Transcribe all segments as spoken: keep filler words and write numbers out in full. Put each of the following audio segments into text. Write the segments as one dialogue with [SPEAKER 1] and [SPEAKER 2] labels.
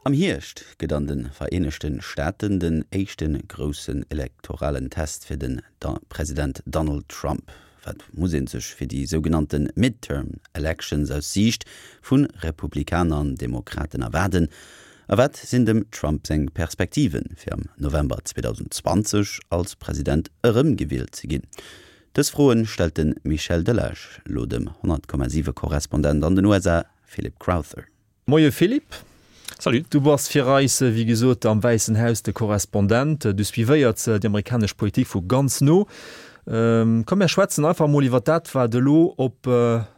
[SPEAKER 1] Am Hierscht gëtt an de Vereenegte Staaten den éischte groussen elektoralen Test fir den President Donald Trump. Wat muss ee sech fir déi sougenannte Midterm Elections aus Siicht vu Republikaner an Demokraten erwaarden? A wat sinn dem Trump seng Perspektiven, fir am November zweedausendzwanzeg als President erëmgewielt ze ginn? Dës Froen stellt de Michel Delage lo dem honnert Komma siwe Korrespondent an den U S A Philip Crowther.
[SPEAKER 2] Moie Philippe.
[SPEAKER 3] Salut.
[SPEAKER 2] Du bass fir eis, wéi gesot, am Wäissen Haus de Korrespondent. Du suivéiers déi amerikanesch Politik vu ganz no. Komm mir schwätzen einfach mol iwwer dat, wat elo op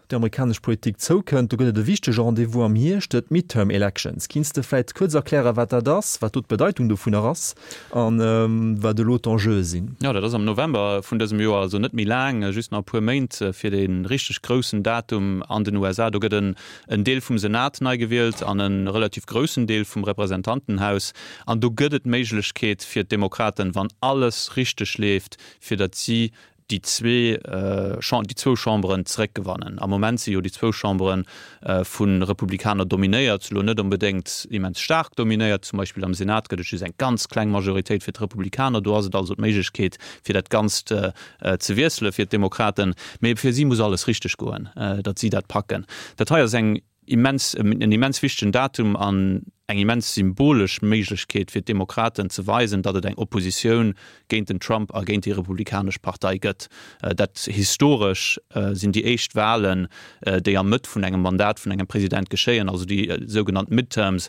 [SPEAKER 2] déi amerikanesch Politik zoukënnt. Do gëtt et e wichtege Rendez-vous am Hierscht, d'Midterm Elections. Kinns de vläit kuerz erklären, wat dat ass, wat do d'Bedeitung dovunner ass an wat elo d'Enjeue sinn?
[SPEAKER 3] Jo, dat ass am November vun dësem Joer, also net méi laang, just nach e puer Méint fir dee richteg groussen Datum an den U S A. Do gëtt en en Deel vum Senat nei gewielt an e relativ groussen Deel vum Representantenhaus. An do gëtt et d'Méiglechkeet fir d'Demokraten, wann alles richteg leeft, fir datt si déi zwee déi zwou Chamberen zeréckgewannen. Am Moment si jo déi zwou Chambere vu Republikaner dominéiert, elo net onbedéngt immens staark dominéiert. Zum Beispill am Senat gëtt et just eng ganz kleng Majoritéit fir d'Republikaner. Do ass et also d'Méiglechkeet, fir dat Ganzt ze wiessele fir d'Demokraten. Mee fir si muss alles richteg goen, datt si dat packen. Dat hei ass eng immens, en immens wichtegen Datum an eng immens symbolesch Méiglechkeet fir d'Demokraten ze weisen, datt et eng Oppositioun géint den Trump a géint déi Republikanesch Partei gëtt. Dat historesch sinn déi éischt Walen, déi am Mëtt vun engem Mandat vun engem President geschéien, also déi sougenannt Midterms.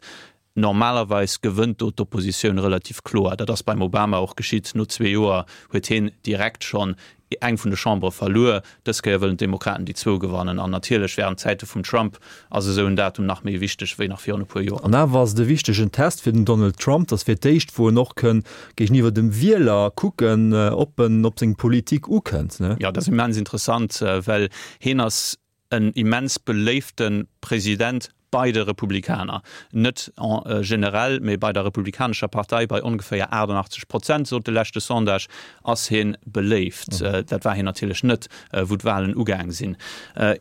[SPEAKER 3] Normalerweis gewënnt do d'Oppositioun relativ kloer. Dat ass beim Obama och geschitt. No zwee Joer huet hien direkt schonn eng vun de Chambere verluer. Dës Kéier wëllen d'Demokraten déi zwou gewannen. An natierlech wärend Zäite vum Trump ass esou en Datum nach méi wichteg wéi nach virun e puer Joer.
[SPEAKER 2] An awer ass et e wichtegen Test fir den Donald Trump. Dat ass fir d'éischt, wou en och kënn géigeniwwer dem Wieler kucken, ob en op seng Politik ukënnt, ne?
[SPEAKER 3] Jo, dat ass immens interessant, well hien ass en immens beléifte President bei de Republikaner, net generell, mee bei der Republikanescher Partei, bei ongeféier achtundachtzeg Prozent, sot de leschte Sondage, ass hie beléift. Dat war hien natierlech net, wou d'Walen ugaang sinn.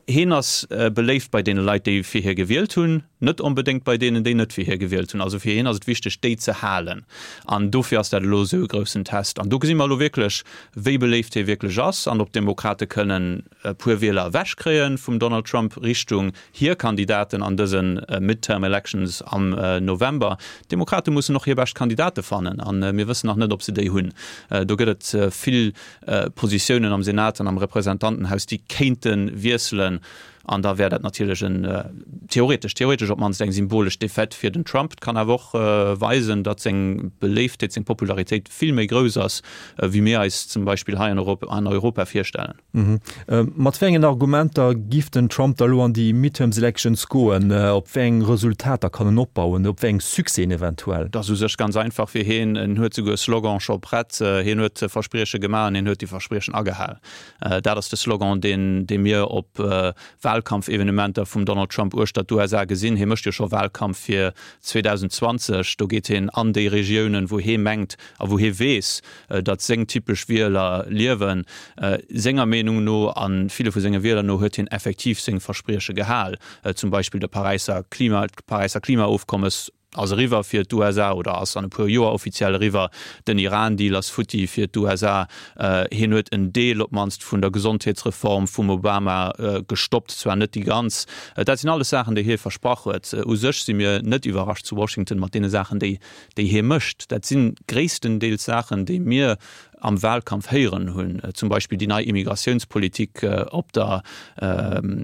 [SPEAKER 3] Hien ass beléift bei deene Leit, déi fir hie gewielt hunn, net onbedéngt bei deenen, déi net fir hie gewielt hunn. Also fir hien ass et wichteg, déi ze halen. An dofir ass dat elo esou e groussen Test. An do gesi mer elo wierklech, wéi beléift hie wierklech ass an ob d'Demokrate kënnen e puer Wieler ewechkréie vum Donald Trump Richtung hir Kandidaten an dëse Midterm Elections am November. D'Demokrate mussen och hir bescht Kandidate fannen a mir wëssen nach net, ob se déi hunn. Do gëtt et vill Positiounen am Senat an am Representantenhaus, déi kéinte wiesselen an da wär dat natierlech en theoretesch, theoretesch op d'mannst eng symbolesch Defaite fir den Trump. Et kann awer och weisen, datt seng Beléiftheet, seng Popularitéit vill méi grouss ass, wéi mir eis zum Beispill hei an Europa virstellen.
[SPEAKER 2] Mat wéi engen Argumenter giff den Trump da lo an déi Midterms Elections goen? Op wéi eng Resultater kann en opbauen? Op wéi eng Succèsen eventuell?
[SPEAKER 3] Et ass u sech ganz einfach fir hien. En huet souguer e Slogan scho prett. Hien huet Versprieche gemaach an hien huet déi Verspriechen agehal. Dat ass de Slogan, deen dee mir op Wahlkampfevenementer vum Donald Trump uechter d'U S A gesinn. Hie mécht jo scho Wahlkampf fir zweedausendzwanzeg. Do geet hien an déi Regiounen, wou hie mengt a wou hie weess, datt seng typesch Wieler liewen. Senger Meenung no a ville vu senge Wieler no huet hien effektiv seng Versprieche gehal. Zum Beispill de Paräisser Klima, d'Paräisser Klimaofkommes ass eriwwer fir d'U S A oder ass an e puer Joer offiziell eriwwer. Den Iran-Deal ass futti fir d'U S A. Hien huet en Deel op d'mannst vun der Gesondheetsreform vum Obama gestoppt, zwar net déi ganz. Dat sinn alles Saachen, déi hie versprach huet. U sech si mir net iwwerrascht zu Washington mat deene Saachen, déi déi hie mécht. Dat si gréisstendeels Saachen, déi mir am Wahlkampf héieren hunn, zum Beispill déi nei Immigratiounspolitik op der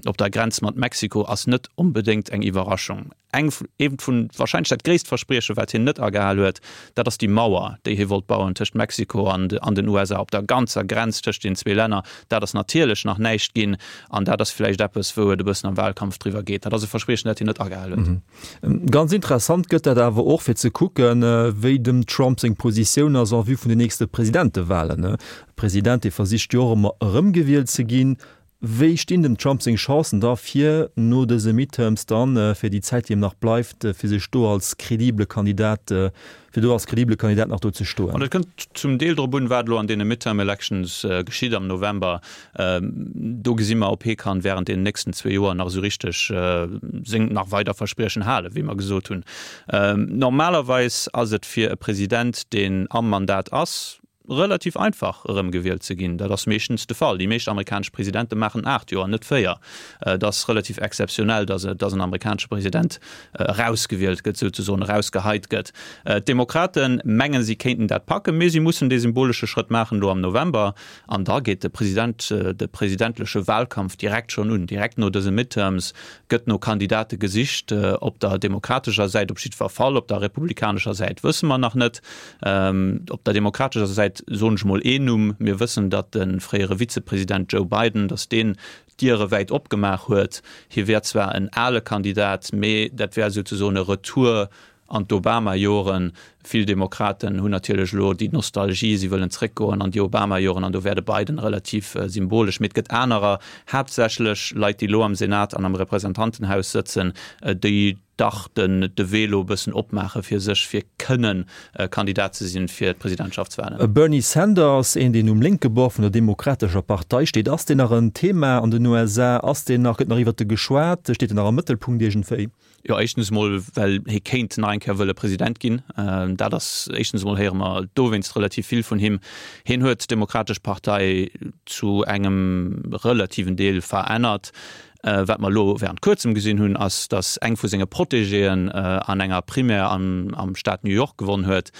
[SPEAKER 3] op der Grenz mat Mexiko ass net onbedéngt eng Iwwerraschung. Eng eent vun, wahrscheinlech dat gréisst Versprieche wat hien net agehal huet, dat ass déi Mauer, déi hie wollt bauen tëscht Mexiko an an den U S A op der ganzer Grenz tëscht den zwee Länner. Dat ass natierlech nach näischt ginn an dat ass vläicht eppes, wou et e bëssen am Wahlkampf driwwer geet. Dat ass e Verspriechen, dat hien net agehal huet.
[SPEAKER 2] Ganz interessant gëtt dat awer och fir ze kucken, wéi dem Trump seng Positioun ass en vue vun den nächste Presidentewahlen. E President, dee versicht jo och ëmmer erëmgewielt ze ginn. Wéi stinn dem Trump seng Chancen da fir no dëse Midterms dann, fir déi Zäit déi him nach bleift, fir sech do als kredible Kandidat, fir do als kredible Kandidat nach do ze stoen?
[SPEAKER 3] An et kënnt zum Deel drop un, wat elo an deene Midterm Elections geschitt am November. Do gesi mer, ob hie kann während deenen nächsten zwee Joer nach esou richteg seng nach weider Verspriechen halen, wéi mer gesot hunn. Normalerweis ass et fir e President, deen am Mandat ass, relativ einfach erëmgewielt ze ginn. Dat ass meeschtens de Fall. Déi meescht amerikanesch Presidente maachen aacht Joer, net véier. Et ass relativ exzeptionell, datt datt en amerikanesche President erausgewielt gëtt, souzesoen erausgeheit gëtt. D'Demokrate mengen, si kéinten dat packen, mee si mussen dee symbolesche Schrëtt maachen elo am November. An da geet de President, de presidentleche Wahlkampf direkt schonn un. Direkt no dëse Midterms gëtt no Kandidate gesicht, op der demokratescher Säit op jiddwer Fall, op der republikanescher Säit wësse mer nach net. Op der demokratescher Säit soen ech mol een Numm, Mir wëssen, datt de fréiere Vizepresident Joe Biden, datt deen d'Diere wäit opgemaach huet. Hie wär zwar en ale Kandidat, mee dat wär souzesoen e Retour an d'Obama-Joren. Vill Demokraten hunn natierlech elo déi Nostalgie, si wëllen zréckgoen an déi Obama-Joren an do wär de Biden relativ symbolesch. Mee et gëtt anerer, haaptsächlech Leit, déi elo am Senat an am Representantenhaus sëtzen, déi dach den de Wee elo e bëssen opmaache fir sech, fir kënnen Kandidat ze sinn fir d'Presidentschaftswalen.
[SPEAKER 2] Bernie Sanders, een deen um lénke Bord vun der Demokratescher Partei steet, ass deen nach en Thema an den U S A? Ass deen nach, gëtt nach iwwert e geschwat? Steet en nach am Mëttelpunkt iergendwéi?
[SPEAKER 3] Jo, éischtens emol, well hie kéint nach eng Kéier wëlle President ginn. Dat ass éischtens emol, héiere mer dowéinst relativ vill vun him. Hien huet d'Demokratesch Partei zu engem relativen Deel verännert. Wat mer elo während Kuerzem gesinn hunn, ass, datt eng vu senge Protégéen an enger Primaire am Staat New York gewonn huet.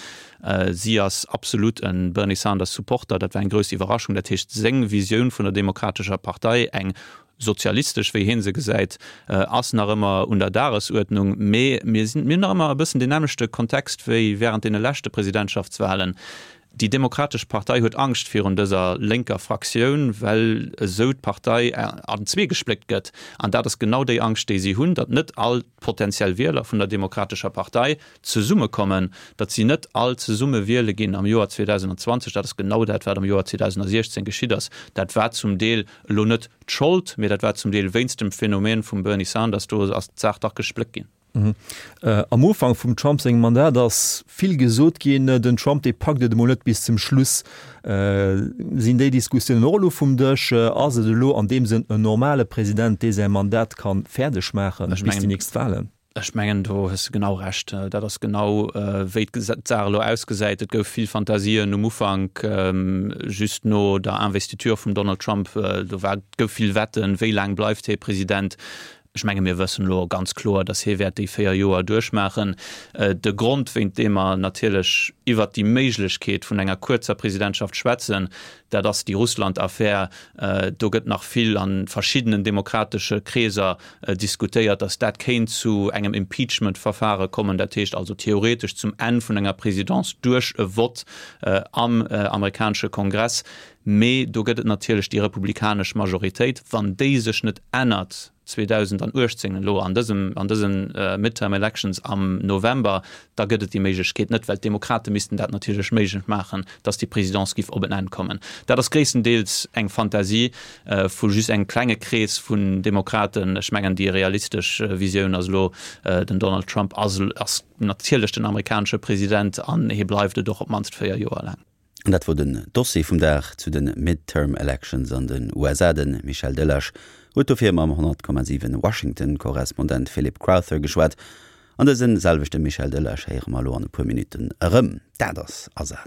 [SPEAKER 3] Si ass absolut e Bernie Sanders Supporter. Dat war eng grouss Iwwerraschung. Dat heescht, seng Visioun vun der Demokratescher Partei, eng sozialistesch, wéi hie se gesäit, ass nach ëmmer un der Dagesuerdnung. Mee mir sinn, mir hunn nach ëmmer e bëssen deen nämmlechte Kontext wéi während deene leschte Presidentschaftswahlen. Déi Demokratesch Partei huet Angscht virun dëser lénker Fraktioun, well esou d'Partei an zwee gespléckt gëtt. An dat ass genau déi Angscht, déi si hunn, datt net all d'potenziell Wieler vun der Demokratescher Partei zesummekommen, datt si net all zesumme wiele ginn am Joer zweedausendzwanzeg. Dat ass genau dat, wat am Joer zweedausensiechzéng geschitt ass. Dat war zum Deel elo net d'Schold, mee dat war zum Deel wéinst dem Phänomen vum Bernie Sanders, do ass d'Saach dach gespléckt ginn.
[SPEAKER 2] Am Ufank vum Trump sengem Mandat ass vill gesot ginn, den Trump dee packt et emol net bis zum Schluss. Sinn déi Diskussiounen och elo vum Dësch? Ass et elo an deem Sënn en normale President, dee säi Mandat ka fäerdeg maachen bis déi nächst Wahlen?
[SPEAKER 3] Ech mengen, do hues de genau Recht. Dat ass genau wéi d'Saach elo ausgesäit. Et gouf vill Fantasien um Ufank, just no der Investiture vum Donald Trump. Do war, gouf vill Wetten, wéi laang bleift hie President. Ech menge mir wëssen elo ganz kloer, datt hie wäert déi véier Joer duerchmaachen. De Grond, wéint deem mer natierlech iwwert déi Méiglechkeet vun enger kuerzer Presidentschaft schwätzen, dat ass déi Russland-Affär. Do gëtt nach vill a verschiddenen demokratesche Kreeser diskutéiert, datt dat kéint zu engem Impeachment-Verfare kommen, dat heescht also theoretesch zum Enn vun enger Presidence duerch e Vott am amerikanesche Kongress. Mee do gëtt et natierlech déi republikanesch Majoritéit. Wann déi sech net ännert, zweedausenduechtzéng elo an dësem, an dësen Midterm Elections am November, da gëtt et déi Méiglechkeet net, well d'Demokrate missten dat natierlech méiglech maachen, datt déi Présidence giff op en Enn kommen. Dat ass gréisstendeels eng Fantasie vu just engem klenge Krees vun Demokraten. Ech mengen, déi realistesch Visioun ass elo, den Donald Trump ass, ass natierlech den amerikanesche President an hie bleift et och op d'mannst véier Joer laang.
[SPEAKER 1] An dat wor den Dossier vum Dag zu de Midterm Elections an den U S A. De Michel Delage huet dofir mam honnert Komma siwen Washington-Korrespondent Philip Crowther geschwat. An dëse selwechte Michel Delage héiere mer elo an e puer Minutten erëm. Dat ass Asaz.